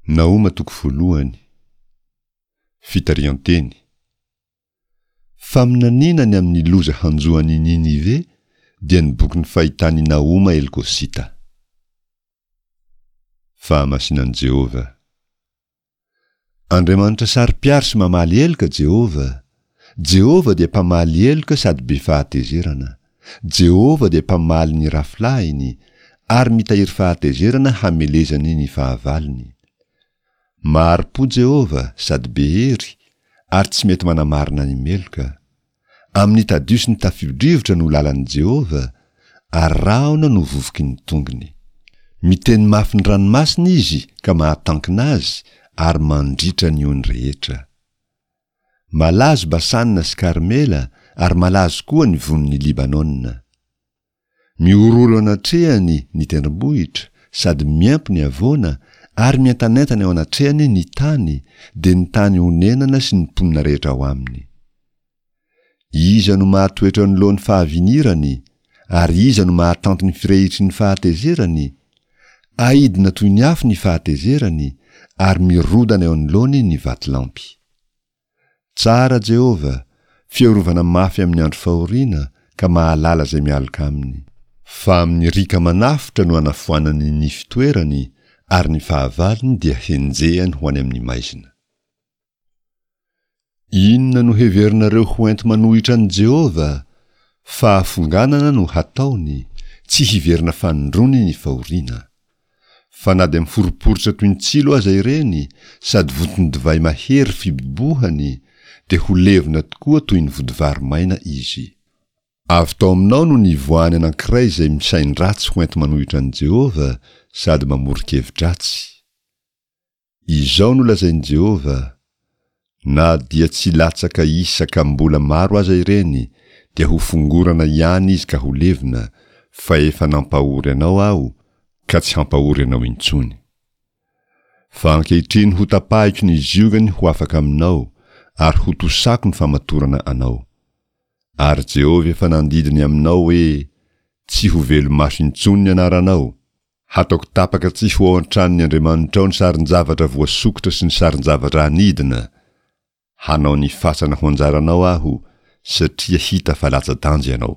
Nahoma toko voalohany. Fitarihan-teny. Faminaniana ny amin'ny loza hanjo an'i Ninive dia ny bokin'ny fahitan'i Nahoma Elkosita. Fahamasinan'i Jehovah. Andriamanitra saro-piaro sy mamaly heloka Jehovah. Jehovah dia mpamaly heloka sady be fahatezerana. Jehovah dia mpamaly ny rafilahiny, ary mitahiry fahatezerana hamelezany ny fahavalony. Mahari-po Jehovah sady be hery, ary tsy mety manamarina ny meloka. Amin'ny tadio sy ny tafio-drivotra no lalan'i Jehovah, ary rahona no vovoky ny tongony. Miteny mafy ny ranomasina izy ka mahatankina azy, ary mandritra ny ony rehetra. Malazo Basana sy Karmela, ary malazo koa ny vonin'i Libanona. Mihorohoro eo anatrehany ny tendrombohitra, sady miempo ny havoana, ary mientanentana eo anatrehany ny tany, dia ny tany onenana sy ny mponina rehetra ao aminy. Iza no mahatoetra eo anoloan'ny fahavinirany, ary iza no mahatanty ny firehitry ny fahatezerany? Aidina toy ny afo ny fahatezerany, ary mirodana eo anoloany ny vatolampy. Tsara Jehovah, fiarovana mafy amin'ny andro fahoriana, ka mahalala izay mialoka aminy. Fa amin'ny riaka manafotra no anafoanany ny fitoerany, ary ny fahavalony dia henjehany ho any amin'ny maizina. Inona no heverinareo ho enti-manohitra an'i Jehovah? Fahafonganana no hataony, tsy hiverina fanindroany ny fahoriana. Fa na dia miforiporitra toy ny tsilo aza ireny, sady vonton-divay mahery fibobohany, dia ho levona tokoa toy ny vodivary maina izy. Avy tao aminao no nivoahan'ny anankiray izay misain-dratsy ho enti-manohitra an'i Jehovah sady mamoron-kevi-dratsy. Izao no lazain'i Jehovah, Na dia tsy latsaka isa ka mbola maro aza ireny, dia ho fongorana ihany izy ka ho levona, fa efa nampahory anao Aho, ka tsy hampahory anao intsony. Fa ankehitriny hotapahiko ny ziogany ho afaka aminao, ary hotosako ny famatorana anao. Ary Jehovah efa nandidy ny aminao hoe, Tsy ho velo-maso intsony ny anaranao, Hataoko tapaka tsy ho ao an-tranon'ny andriamanitrao ny sarin-javatra voasokitra sy ny sarin-javatra anidina. Hanao ny fasana ho anjaranao aho, satria hita fa latsa-danja ianao.